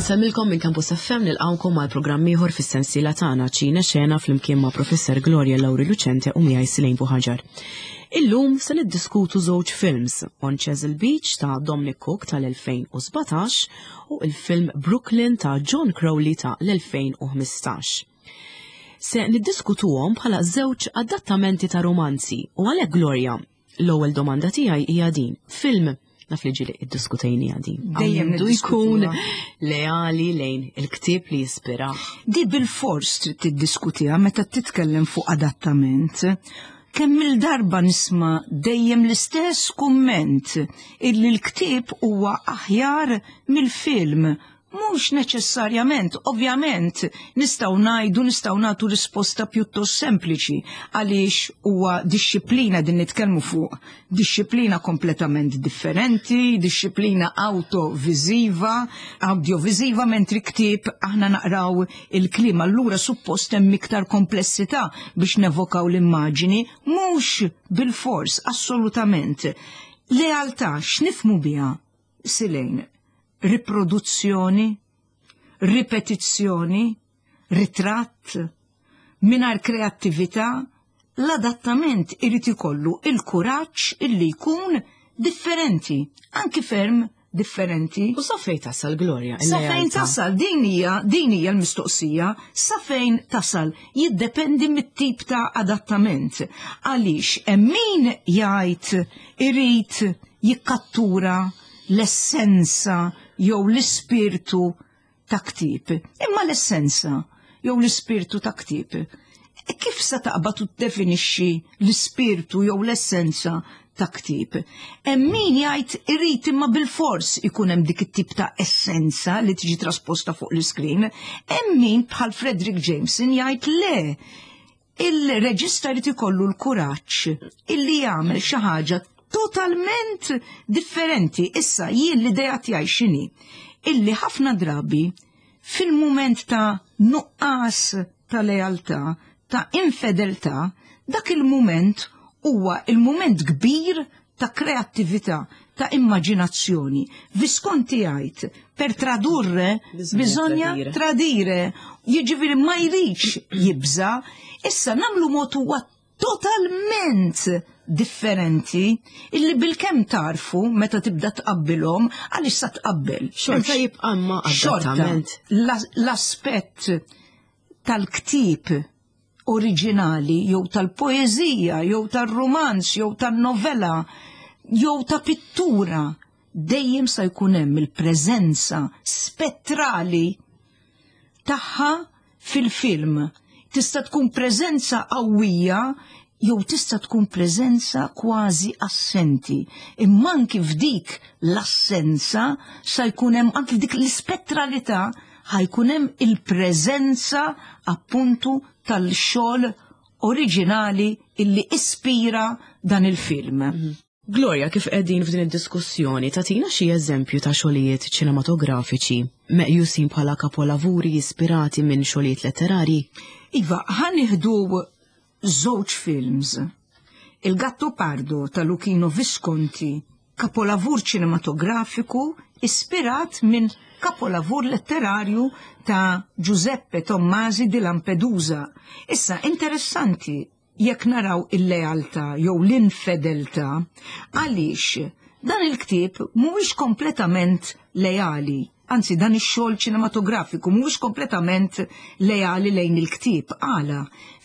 Nsemmilkom minn Campus FM nilqawkom għal programm ieħor fis-sensiela tagħna Ċina Xena flimkien ma' Professor Gloria Lauri Lucente u miegħi Silejn Buħaġar. Illum se niddiskutu żewġ films, On Chesil Beach ta' Dominic Cook tal-2017 u il-film Brooklyn ta' John Crowley ta' l-2015. Se niddiskutuhom bħala żewġ adattamenti ta' romanzi u għalhekk Gloria, l-ewwel domanda tiegħi hija din. Film naf li ġili iddiskutejni din. Dejjem Għandu jkun leali lejn il-ktieb li jispira. Di bil-fors trid tiddiskutiha meta titkellem fuq adattament. Kemm il-darba nisma' dejjem l-istess kumment illi l-ktieb huwa aħjar mill-film. Mhux neċessarjament, ovvjament, nistgħu ngħidu nistgħu nagħtu risposta pjuttost sempliċi għaliex huwa dixxiplina din nitkellmu fuq dixxiplina kompletament differenti, dixxiplina awtoviżiva, awdjoviżiva mentri ktieb aħna naqraw il-kliem allura suppost hemm iktar komplessità biex nevokaw l-immaġini, mhux bilfors assolutament. Lealtà x'nifhmu biha? Silejn, riproduzzjoni, ripetizzjoni, ritratt, mingħajr kreattività, l-adattament irid ikollu il-kuraġġ illi jkun differenti, anki ferm differenti. U sa fejn tasal Gloria? Sa fejn tasal, din hija din hija l-mistoqsija, sa fejn tasal jiddependi mit-tip ta' adattament. Għaliex hemm min jgħid irid jikkattura l-essenza jew l-ispirtu ta' ktieb. Imma l-essenza jew l-ispirtu ta' ktieb, kif se taqbad u tiddefinixxi l-ispirtu jew l-essenza ta' ktieb? Hemm min jgħid irid imma bilfors ikun hemm dik it-tip ta' essenza li tiġi trasposta fuq l-iskrin. Hemm min bħal Fredric Jameson jgħid le, Il-reġista jrid ikollu l-kuraġġ illi jagħmel xi ħaġa totalment differenti. Issa jien l-idea tiegħi x'inhi? Illi ħafna drabi fil-mument ta' nuqqas ta' lealtà, ta' infedeltà, dak il-mument huwa il-mument kbir ta' kreattività, ta' immaġinazzjoni. Visconti jgħid, per tradurre bisogna tradire. Jiġifieri ma jridx jibża'. Issa nagħmlu mod huwa totalment differenti illi bilkemm tarfu meta tibda tqabbilhom għaliex sa tqabbel. Xorta jibqa' ma adattament. L-aspett tal-ktieb oriġinali jew tal-poeżija jew tar-rumanz jew tan-novella jew ta' pittura dejjem sa jkun hemm il-preżenza spettrali tagħha fil-film. Tista' tkun preżenza qawwija jew tista' tkun preżenza kważi assenti. Imma anki f'dik l-assenza sa jkun hemm anki f'dik l-ispettralità ħajkun hemm il-preżenza appuntu tal-xogħol oriġinali illi ispira dan il-film. Mhm. Gloria, kif qegħdin f'din id-diskussjoni, tagħtina xi eżempju ta' xogħlijiet ċinematografiċi meqjusin bħala kapolavuri ispirati minn xogħlijiet letterari? Iva, ħa nieħdu żewġ films. Il-Gattopardo ta' Luchino Visconti, kapolavur ċinematografiku ispirat minn kapolavur letterarju ta' Giuseppe Tommasi di Lampedusa. Issa, interessanti jekk naraw il-lealtà jew l-infedeltà, għaliex dan il-ktieb mhuwiex kompletament leali, anzi dan ix-xogħol ċinematografiku mhuwiex kompletament leali lejn il-ktieb. Għala?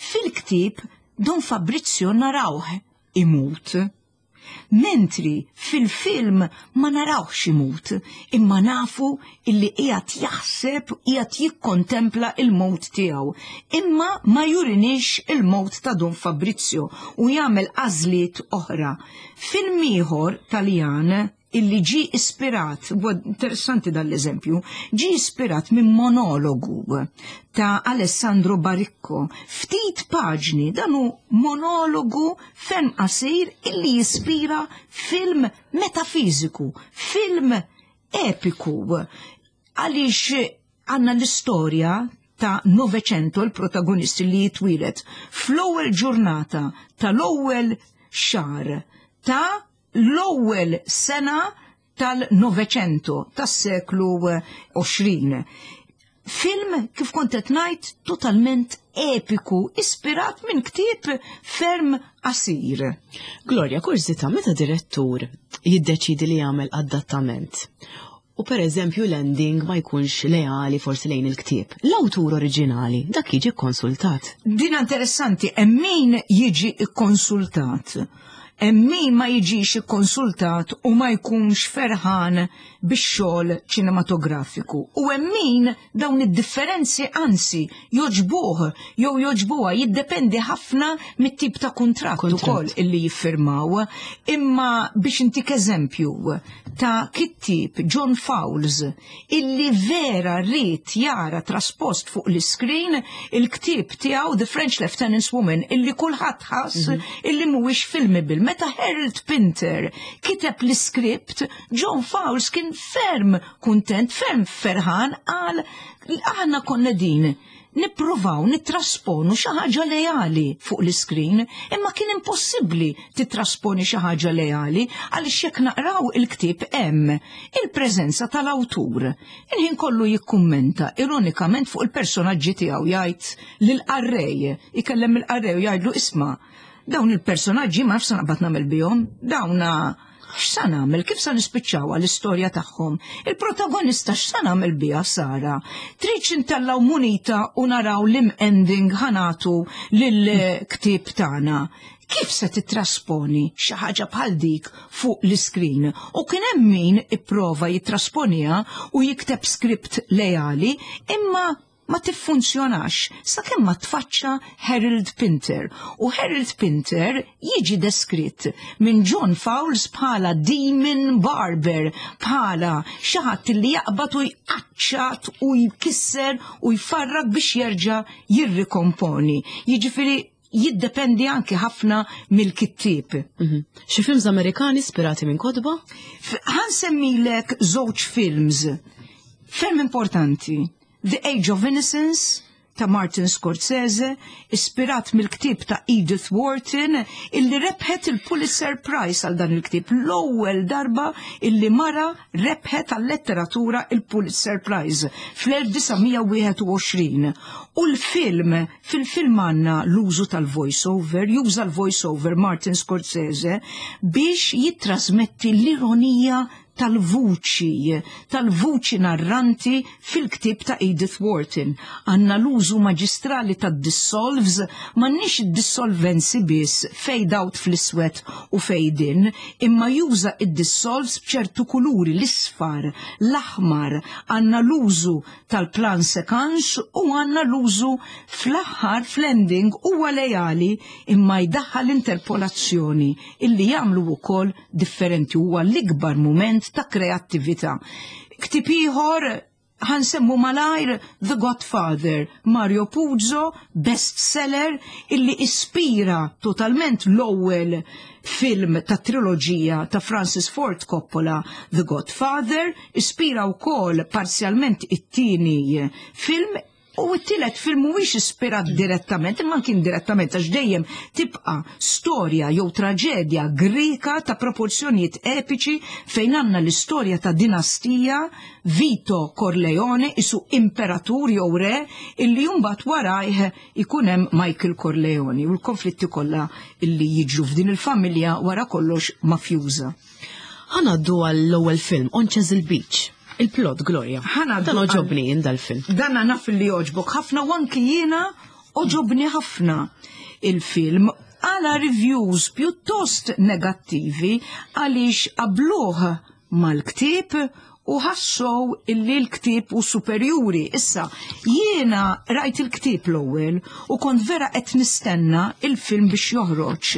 Fil-ktieb Don Fabrizio narawh imut. Mentri fil-film ma narawhx imut, imma nafu illi qiegħed jaħseb, qiegħed jikkontempla il-mewt tiegħu. Imma ma jurinix il-mewt ta' Don Fabrizio u jagħmel għażliet oħra. Film ieħor Taljan illi ġie ispirat, huwa interessanti dan l-eżempju, ġie ispirat minn monologu ta' Alessandro Baricco. Ftit paġni, dan hu monologu ferm qasir illi jispira film metafiżiku, film epiku. Għaliex għandna l-istorja ta' Novecento, il-protagonist li jitwieled fl-ewwel ġurnata tal-ewwel xahar ta' l-ewwel sena tal-Novecento, tas-seklu 20. Film, kif kont qed ngħid, totalment epiku, ispirat minn ktieb ferm qasir. Gloria, kurżità, meta direttur jiddeċidi li jagħmel adattament u per eżempju l-ending ma jkunx leali forsi lejn il-ktieb, l-awtur oriġinali dak jiġi kkonsultat? Din interessanti, hemm min jiġi kkonsultat. Hemm min ma jiġix ikkonsultat u ma jkunx ferħan bix-xogħol ċinematografiku. U hemm min dawn id-differenzi anzi jogħġbuh jew jogħġbuha, jiddependi ħafna mit-tip ta' kuntratt ukoll illi jiffirmaw. Imma biex intik eżempju ta' kittieb John Fowles illi vera ried jara traspost fuq l-iskrin il-ktieb tiegħu The French Lieutenant's Woman illi kulħadd ħass mhm. illi mhuwiex filmable. Meta Harold Pinter kiteb l-iskript, John Fowles kien ferm kuntent, ferm ferħan qal aħna konna din nippruvaw nittrasponu xi ħaġa leali fuq l-iskrin, imma kien impossibbli titrasponi xi ħaġa leali għaliex jekk naqraw il-ktieb hemm il-preżenza tal-awtur. Il-ħin kollu jikkummenta ironikament fuq il-personaġġi tiegħu jgħid lill-qarrej, ikellem il-qarrej u jgħidlu isma' dawn il-personaġġi ma nafx naqbad nagħmel bihom, dawna X'sa nagħmel? Kif sa nispiċċawha l-istorja tagħhom? Il-protagonista x'sa nagħmel biha Sara? Tridx intellgħu munita u naraw lim ending ħanatu lill-ktieb tagħna? Kif se titrasponi xi ħaġa bħal dik fuq l-iskrin? U kien hemm min ipprova jitrasponiha u jikteb skript leali, imma ma tiffunzjonax sakemm ma tfaċċa Harold Pinter. U Harold Pinter jiġi deskritt minn John Fowles bħala Demon Barber, bħala xi ħadd li jaqbad u jqaċċat u jkisser u jfarrak biex jerġa' jirrikomponi. Jiġifieri jiddependi anki ħafna mill-kittieb. Mhm. Xi films Amerikani ispirati minn kotba? Ħansemmilek żewġ films ferm importanti. The Age of Innocence ta' Martin Scorsese, ispirat mill-ktieb ta' Edith Wharton, illi rebħet il-Pulitzer Prize għal dan il-ktieb, l-ewwel darba illi mara rebħet għal-letteratura il-Pulitzer Prize fl-1921. U l-film, fil-film għandna l-użu tal-voice-over, juża l-voice-over Martin Scorsese biex jittrasmetti l-ironija tal-vuċi, tal-vuċi narranti fil-ktieb ta' Edith Wharton. Għandna l-użu maġistrali tad-dissolves, m'għandniex id-dissolvenzi biss, fade out fl-iswed u fade in, imma juża id-dissolves b'ċertu kuluri, l-isfar, l-aħmar, għandna l-użu tal-plan séquence u għandna l-użu fl-aħħar fl-ending huwa lejali imma jdaħħal interpolazzjoni illi jagħmlu wkoll differenti huwa l-ikbar mument ta' kreattività. Ktieb ieħor ħansemmu malajr The Godfather, Mario Puzo, bestseller illi ispira totalment l-ewwel film ta' triloġija ta' Francis Ford Coppola, The Godfather, ispira wkoll parzjalment it-tieni film U t-tielet film mhuwiex ispirat direttament, imma kien direttament għax dejjem tibqa' storja jew traġedja Grika ta' proporzjonijiet epiċi fejn għandna l-istorja ta' dinastija Vito Corleone isu imperatur jew re illi mbagħad warajh ikun hemm Michael Corleone u l-konflitti kollha illi jiġru f'din il-familja wara kollox mafjuża. Ħanaddu għall-ewwel film On Chesil Beach. Il-plot, Gloria. Ħanaddu Dan oġobni jien dal-film. Dan naf li joġbok ħafna u anki jiena oġobni ħafna il-film għala reviews pjuttost negattivi għaliex qabluh mal-ktieb u ħassow illi l-ktieb u superjuri. Issa, jiena rajt il-ktieb l-ewwel u kont vera qed nistenna il-film biex joħroġ.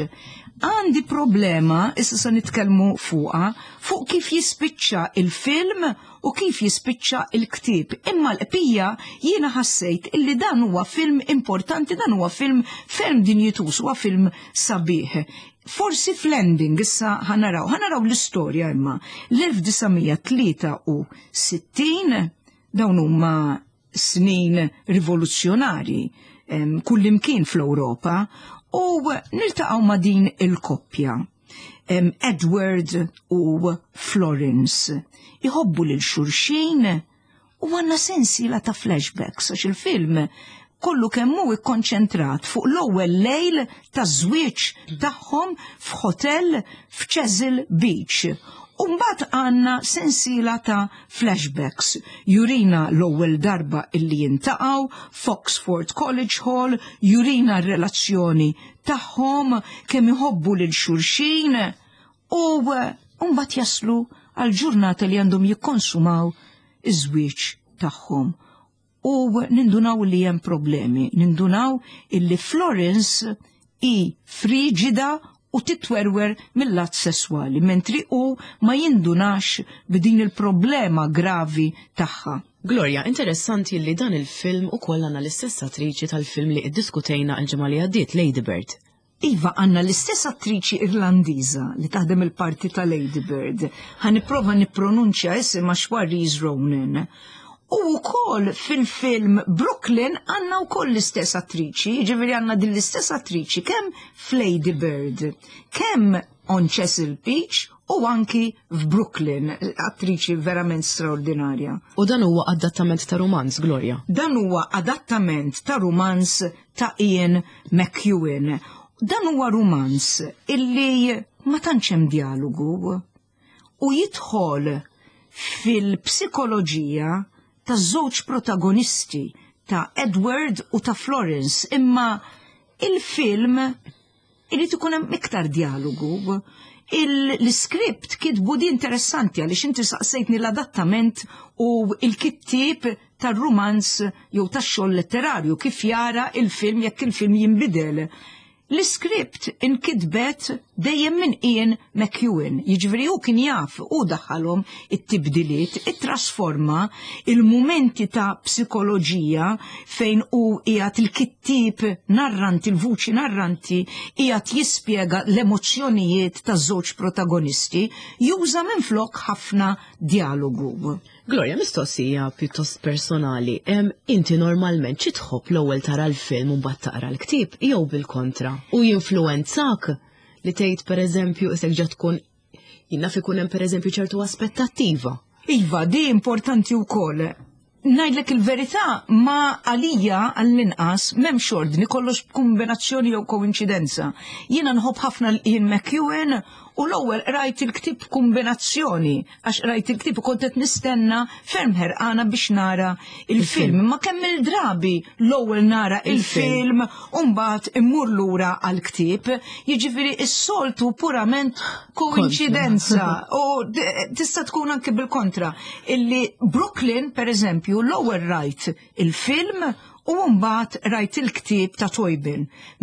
Għandi problema, issa se nitkellmu fuqha, fuq kif jispiċċa il-film u kif jispiċċa il-ktieb. Imma l-qbija jiena ħassejt illi dan huwa film importanti, dan huwa film ferm dinjituż, huwa film sabiħ. Forsi fl-ending issa ħanaraw, ħanaraw l-istorja imma l-1963 dawn huma snin rivoluzzjonari kullimkien fl-Ewropa u niltaqgħu ma' din il-koppja. Edward u Florence. Iħobbu lil xulxin u għandna sensiela ta' flashbacks għax il-film kollu kemm hu ikkonċentrat fuq l-ewwel lejl taż-żwieġ tagħhom f'hotel f'Chesil Beach. U mbagħad għandna sensiela ta' flashbacks. Jurina l-ewwel darba illi jintaqgħu f'Oxford College Hall, jurina r-relazzjoni tagħhom, kemm iħobbu lil xulxin u mbagħad jaslu għal ġurnata li għandhom jikkonsumaw iż-żwieġ tagħhom. U nindunaw li hemm problemi, nindunaw illi Florence hi friġida u titwerwer mill-att sesswali, mentri hu ma jindunax b'din il-problema gravi tagħha. Gloria, interessanti li dan il-film ukoll għandna l-istess attriċi tal-film li iddiskutejna l-ġimgħa li għaddiet, Lady Bird. Iva, għandna l-istess attriċi Irlandiża li taħdem il-parti ta' Lady Bird. Ħa nipprova nippronunċja isimha Saoirse Ronan. U wkoll fil-film Brooklyn għandna wkoll l-istess attriċi, jiġifieri għandna din l-istess attriċi kemm f'Lady Bird, kemm on Chesil Beach u anki f'Brooklyn, attriċi verament straordinarja. U dan huwa adattament ta' romanz, Gloria? Dan huwa adattament ta' romanz ta' Ian McEwan. Dan huwa romanz illi ma tantx hemm dialogu u jidħol fil-psikoloġija ta' żewġ protagonisti ta' Edward u ta' Florence, imma il-film irid ikun hemm iktar dialogu. L-iskript kitbu di interessanti għaliex inti saqsejtni l-adattament u il-kittieb tar-rumanz jew tax-xogħol letterarju kif jara il-film jekk il-film jinbidel. L-iskript inkitbet dejjem minn Ian McEwan, jiġifieri hu kien jaf u daħħalhom it-tibdiliet, ittrasforma il-mumenti ta' psikoloġija fejn hu qiegħed il-kittieb narranti, il-vuċi narranti qiegħed jispjega l-emozzjonijiet taż-żewġ protagonisti, juża minflok ħafna dialogu. Gloria, mistoqsija pjuttost personali. Inti normalment xi tħobb l-ewwel tara l-film u mbagħad taqra l-ktieb jew bil-kontra? U jinfluwenzak li tgħid pereżempju isek ġa tkun jien naf ikun hemm pereżempju ċertu aspettattiva. Iva, di importanti wkoll. Ngħidlek il-verità ma għalija għall-inqas m'hemmx ordni kollox b'kombinazzjoni jew koinċidenza. Jiena nħobb ħafna l-Ian McEwan u l-ewwel qrajt il-ktieb b'kombinazzjoni għax qrajt il-ktieb u kont qed nistenna ferm ħerqana biex nara il-film. Ma kemm il-drabi l-ewwel nara il-film u mbagħad immur lura għall-ktieb, jiġifieri s-soltu purament koinċidenza u tista' tkun anke bil-kontra illi Brooklyn pereżempju l-ewwel rajt il-film u mbagħad rajt il-ktieb ta' Toybin,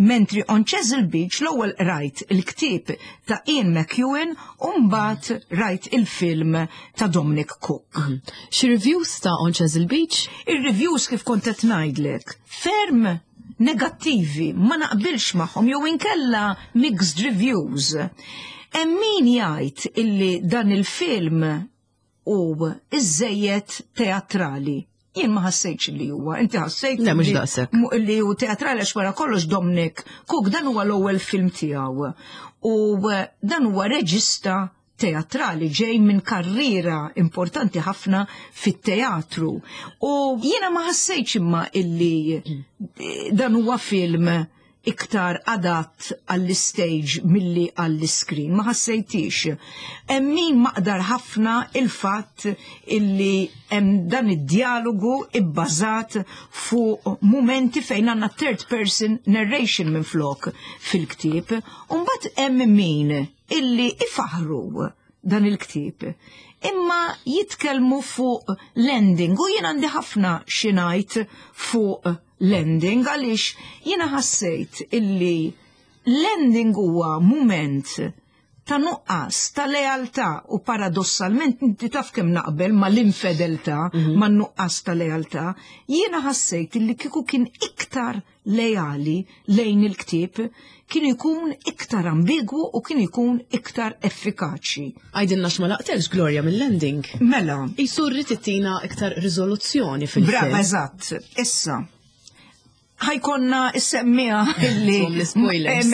mentri on Chesil Beach l-ewwel rajt il-ktieb ta' Ian McEwan u mbagħad rajt il-film ta' Dominic Cooke. Xi reviews ta' On Chesil Beach? Ir-reviews kif kont qed ngħidlek, ferm negattivi, ma naqbilx magħhom jew inkella mixed reviews. Hemm min jgħid illi dan il-film hu iżżejjed teatrali. Jien ma ħassejtx li huwa, inti ħassejt Le, mhux daqshekk. li hu teatrali għax wara kollox Dominic Cooke dan huwa l-ewwel film tiegħu. U dan huwa reġista teatrali ġej minn karriera importanti ħafna fit-teatru. U jiena ma ħassejtx imma illi dan huwa film iktar adatt għall-stage milli għall-screen. Ma ħassejtix. Hemm min maqdar ħafna il-fatt illi hemm dan id-dialogu ibbażat fuq mumenti fejn għandna third person narration minn flok fil-ktieb. U mbagħad hemm min illi ifaħru dan il-ktieb. Imma jitkellmu fuq l-ending u jien għandi ħafna xi ngħid fuq l-ending għaliex jiena ħassejt illi l-ending huwa mument ta' nuqqas ta' lealtà u paradossalment inti taf kemm naqbel ma' l-infedeltà, ma' nuqqas ta' lealtà, jiena ħassejt illi kieku kien iktar lejali lejn il-ktieb kien ikun iktar ambigwu u kien ikun iktar effikaċi. Għidilna x'ma laqtelx Gloria mill-ending. Mela. Isu rrid ittina iktar riżoluzzjoni fil-film. Brava, eżatt. Issa, Ħa jkollna s-semmiegħa illi l-spoilers.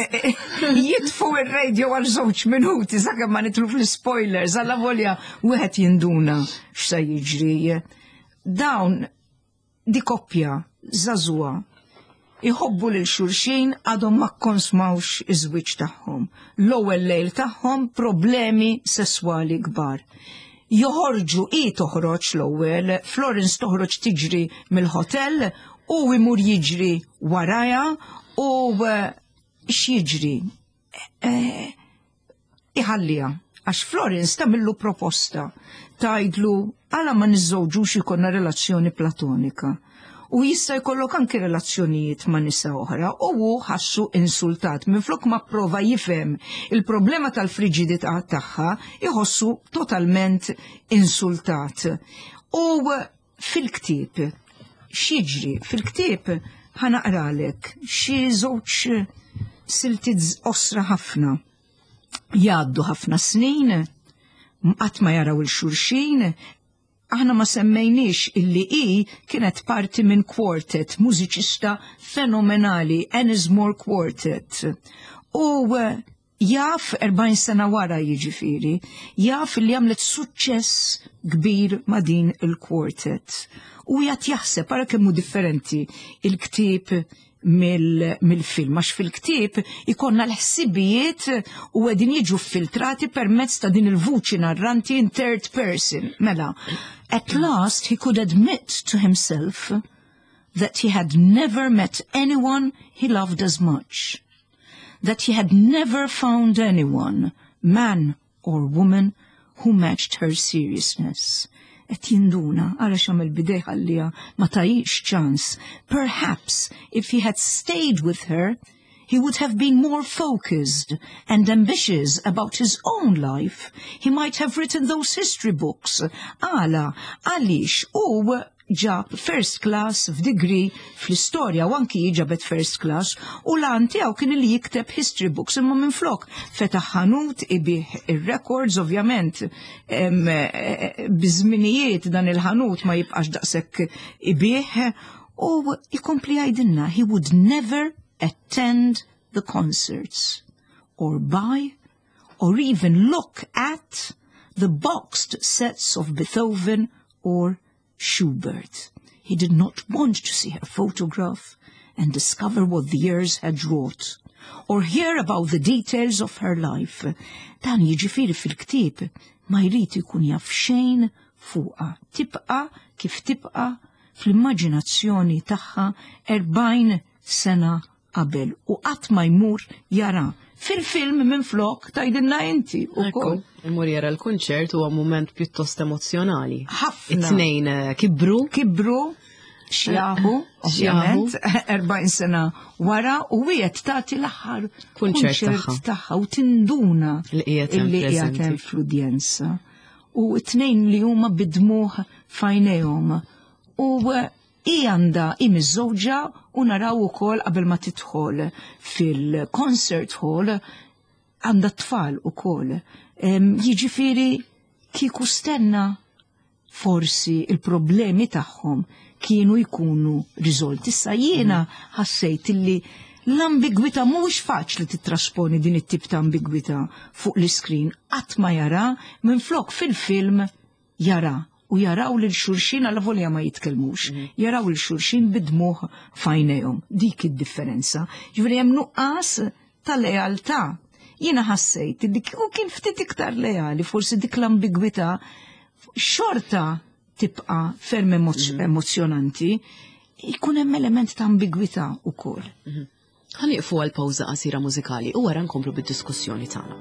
Jitfu ir-radio għal żewġ minuti sakemm ma nidħlu fl-spoilers avolja wieħed jinduna x'se jiġri. Dawn di koppja żagħżugħa jħobbu lil xulxin, għadhom ma konsmawx iż-żwieġ tagħhom. L-ewwel lejl tagħhom, problemi sesswali kbar. Joħorġu, i toħroġ l-ewwel, Florence toħroġ tiġri mill-hotel u imur jiġri waraja u x'jiġri? Iħallija għax Florence tagħmillu proposta, tgħidlu għala ma niżżewġux, ikollna relazzjoni platonika. U jista' jkollok anki relazzjonijiet ma' nisa oħra, u hu ħassu insultat. Minflok ma prova jifhem il-problema tal-friġidità tagħha, iħossu totalment insultat. U fil-ktieb x'jiġri? Fil-ktieb ħa naqralek xi żewġ siltiet qosra ħafna. Jgħaddu ħafna snin, qatt ma jaraw 'il xulxin. Aħna ma semmejniex illi i kienet parti minn quartet, mużiċista fenomenali, Ennismore Quartet. U jaf 40 sena wara jiġifieri, jaf li għamlet suċċess kbir ma' din il-quartet. U jgħat jaħseb, ara kemm hu differenti il-ktieb mill-film, għax fil-ktieb ikollna l-ħsibijiet u qegħdin jiġu filtrati permezz ta' din il-vuċi narranti in third person. Mela, at last he could admit to himself that he had never met anyone he loved as much, that he had never found anyone, man or woman, who matched her seriousness. Et jinduna, ara x'għamel b'idejh, ħalliha, ma tahiex ċans. Perhaps if he had stayed with her, he would have been more focused and ambitious about his own life. He might have written those history books. Għala, għaliex u ġab first class f'degree fl-istorja u anki ġabet first class u l-għan tiegħu kien li jikteb history books, imma minflok fetaħ ħanut ibigħ ir-records. Ovvjament biż-żminijiet dan il-ħanut ma jibqax daqshekk ibigħ u jkompli jgħidilna he would never attend the concerts or buy or even look at the boxed sets of Beethoven or Schubert. He did not want to see her photograph and discover what the years had wrought, or hear about the details of her life. Dan jiġifieri fil-ktieb ma jrid ikun jaf xejn fuqha. Tibqa kif tibqa fl-immaġinazzjoni tagħha 40 sena qabel u qatt ma jmur jara. Fil-film minn flok tgħidilna inti ukoll. Imur jara l-kunċert, huwa moment pjuttost emozjonali. Ħafna. It-tnejn kibru. Kibru, xjaħu, ovvjament, 40 sena wara u wieħed tagħti l-aħħar kunċert tagħha u tinduna li qiegħed illi qiegħed hemm fl-udjenza. U t-tnejn li huma bid-dmugħ f'għajnejhom. U i għandha, i miżżewġa, u naraw ukoll qabel ma tidħol fil-concert hall għandha tfal ukoll. Jiġifieri kieku stenna forsi il-problemi tagħhom kienu jkunu riżolti. Issa jiena ħassejt illi l-ambigwità, mhuwiex faċli titrasponi din it-tip ta' ambigwità fuq l-iskrin, qatt ma jara, minflok fil-film jara u jaraw lil xulxin avolja ma jitkellmux, jaraw lil xulxin bid-dmugħ f'għajnejhom. Dik id-differenza. Ġifieri hemm nuqqas ta' lealtà. Jiena ħassejt li kieku kien ftit iktar leali, forsi dik l-ambigwità xorta tibqa' ferm emozjonanti, jkun hemm element ta' ambigwità wkoll. Ħa nieqfu għal pawża qasira mużikali u wara nkomplu bid-diskussjoni tagħna.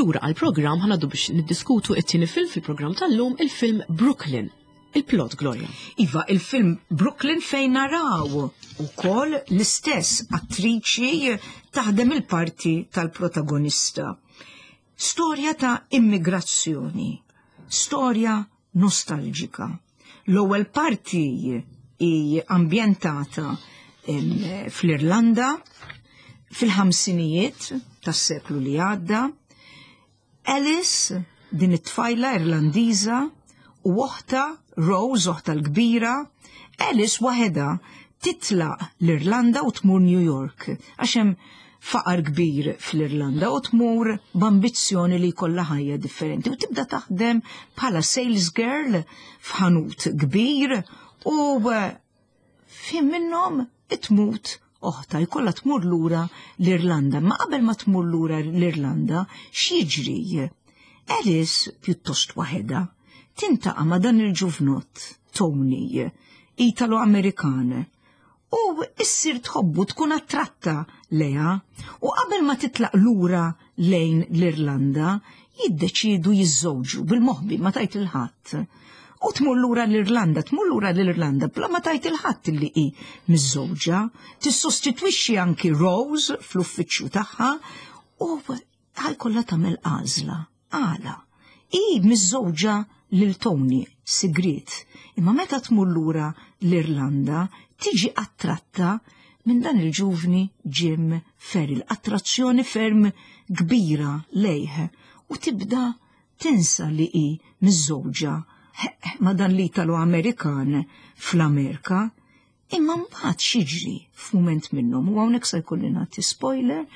Lura għall-programm ħa ngħaddu biex niddiskutu it-tieni film fil-programm tal-lum, il-film Brooklyn. Il-plot, Gloria. Iva, il-film Brooklyn fejn naraw ukoll l-istess attriċi taħdem il-parti tal-protagonista. Storja ta' immigrazzjoni, storja nostalġika. L-ewwel parti hi ambjentata fl-Irlanda fil-ħamsinijiet tas-seklu li għadda. Alice, din it-tfajla Irlandiża, u oħta Rose, oħta l-kbira, Alice waħedha titlaq l-Irlanda u tmur New York għax hemm faqar kbir fl-Irlanda u tmur b'ambizzjoni li jkollha ħajja differenti u tibda taħdem bħala sales girl f'ħanut kbir u eh, fim minnhom tmut oħta jkollha tmur lura l-Irlanda. Ma qabel ma tmur lura l-Irlanda, x'jiġri? Alice pjuttost waħedha tintaqa' ma' dan il-ġuvnott Tony, Italo-Amerikan, u issir tħobbu tkun attratta leha u qabel ma titlaq lura lejn l-Irlanda jiddeċiedu jiżżewġu bil-moħbi ma tajt il-ħadd. U tmur lura l-Irlanda, tmur lura l-Irlanda bla ma tajt il-ħadd li hi miżżewġa, tissostitwixxi anki Rose fl-uffiċċju tagħha u ħajkollha tagħmel għażla. Għala? Hi miżżewġa lil Tony, sigriet, imma meta tmur lura l-Irlanda tiġi attratta minn dan il-ġuvni Jim Farrell, attrazzjoni ferm kbira lejh u tibda tinsa li hi miżżewġa ma' dan l-Italo-Amerikan fl-Amerika. Imma mbagħad x'jiġri f'mument minnhom u hawnhekk se jkolli nagħti spoiler,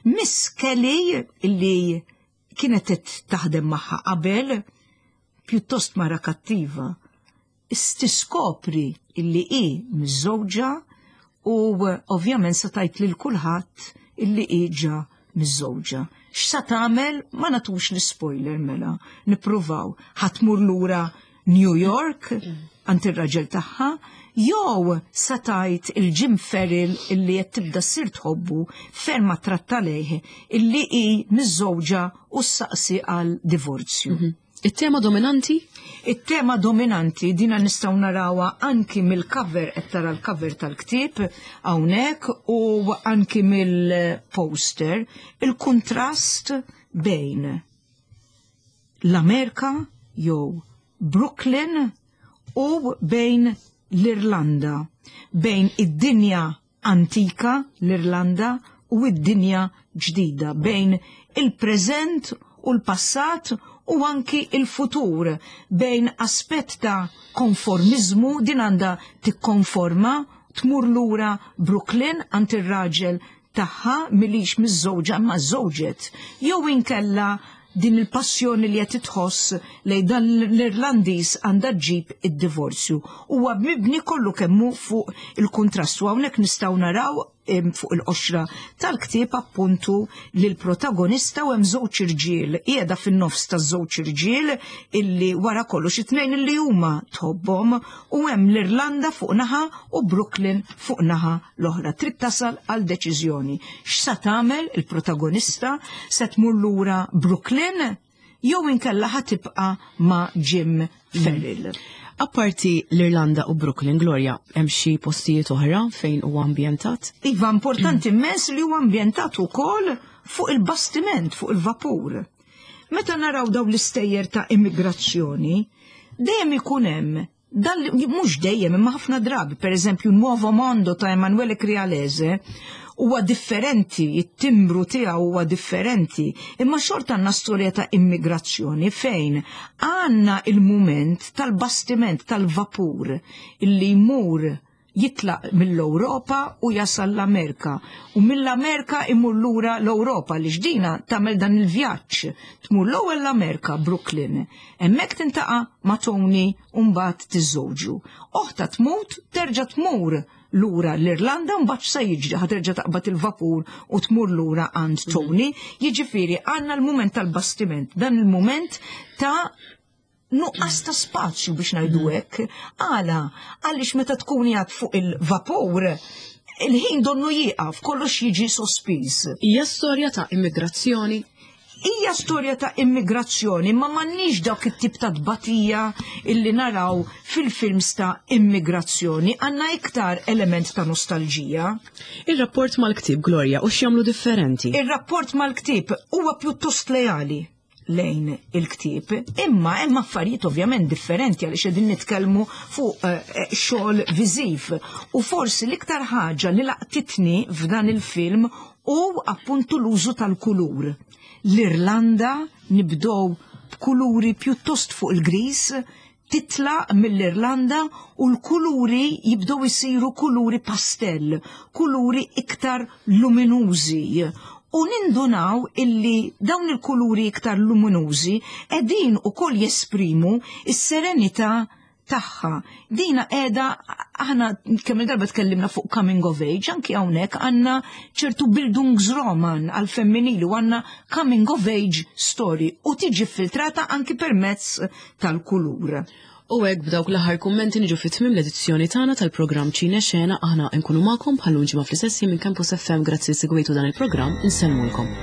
Miss Kelly li kienet qed taħdem magħha qabel, pjuttost mara kattiva, tiskopri illi hi miżżewġa u ovvjament se tgħid lil kulħadd illi hi ġa miżżewġa. X'sa tagħmel ma nagħtux l-spoiler mela, nippruvaw. Ħa tmur lura New York għand ir-raġel tagħha, jew sa tgħid il-Jim Farrell illi qed tibda ssir tħobbu ferm attratta lejh illi hi miżżewġa u ssaqsi għal divorzju. Mhm. It-tema dominanti? It-tema dominanti dina nistgħu narawha anki mill-cover qed tara l-cover tal-ktieb hawnhekk u anki mill-poster il-kuntrast bejn l-Amerika jew Brooklyn u bejn l-Irlanda, bejn id-dinja antika, l-Irlanda, u id-dinja ġdida, bejn il-preżent u l-passat u anki il-futur, bejn aspett ta' konformiżmu, din għandha tikkonforma, tmur lura Brooklyn għand ir-raġel tagħha milix miżżewġa imma żżewġet, jew inkella din il-passjoni li qed tħoss lejn dan l-Irlandiż għandha ġġib id-divorzju. Huwa mibni kollu kemm hu fuq il-kuntrast u hawnhekk nistgħu naraw fuq il-qoxra tal-ktieb appuntu lil protagonista u hemm żewġ irġiel qiegħda fin-nofs taż-żewġ irġiel illi wara kollox it-tnejn illi huma tħobbhom u hemm l-Irlanda fuq naħa u Brooklyn fuq naħa l-oħra. Trid tasal għal deċiżjoni. X'sa tagħmel il-protagonista? Se tmur lura Brooklyn jew inkella ħa tibqa' ma' Jim Farrell. Apparti l-Irlanda u Brooklyn, Gloria, hemm xi postijiet oħra fejn huwa ambjentat? Iva, importanti immens li huwa ambjentat ukoll fuq il-bastiment, fuq il-vapur. Meta naraw dawn l-istejjer ta' immigrazzjoni, dejjem ikun hemm Dan mhux dejjem imma ħafna drabi, pereżempju Nuovo Mondo ta' Emanuele Crialese huwa differenti, it-timbru tiegħu huwa differenti, imma xorta għandna storja ta' immigrazzjoni fejn għandna il-mument tal-bastiment tal-vapur illi jmur jitlaq mill-Ewropa u jasal l-Amerika u mill-Amerika imur lura l-Ewropa li xdina tagħmel dan il-vjaġġ tmur l-ewwel l-Amerika Brooklyn hemmhekk tintaqa' ma' Tony u mbagħad tiżżewġu. Oħta tmut terġa' tmur lura l-Irlanda mbagħad x'sa jiġri ħa terġa' taqbad il-vapur u tmur lura għand Tony. Jiġifieri għandna l-mument tal-bastiment, dan il-mument ta' nuqqas ta' spazju biex ngħidu mm. hekk. Għala, għaliex meta tkun jgħad fuq il-vapur, il-ħin donnu jieqaf, kollox jiġi sospiż. Hija storja ta' immigrazzjoni? Hija storja ta' immigrazzjoni, ma m'għandniex dak it-tip ta' tbatija illi naraw fil-films ta' immigrazzjoni, għandna iktar element ta' nostalġija. Ir-rapport mal-ktieb, Gloria, u x'jagħmlu differenti? Ir-rapport mal-ktieb huwa pjuttost leali lejn il-ktieb, imma hemm affarijiet ovvjament differenti għaliex qegħdin nitkellmu fuq eh, eh, xogħol viżiv. U forsi l-iktar ħaġa li laqtitni f'dan il-film hu appuntu l-użu tal-kulur. L-Irlanda nibdew b'kuluri pjuttost fuq il-gris, titlaq mill-Irlanda u l-kuluri jibdew isiru kuluri pastell, kuluri iktar luminużi. U nindunaw illi dawn il-kuluri iktar luminużi qegħdin ukoll jesprimu s-serenità tagħha. Dina qiegħda aħna kemm il-darba tkellimna fuq coming of age, anki hawnhekk għandna ċertu Bildungsroman għal femminili u għandna coming of age story u tiġi filtrata anki permezz tal-kulur. U hekk b'dawk l-aħħar kummenti niġu fi tmiem l-edizzjoni tagħna tal-programm Ċine Xena aħna nkunu magħkom bħal ġimgħa fl-istess minn Campus FM grazzi li segwejtu dan il-programm insellmulkom.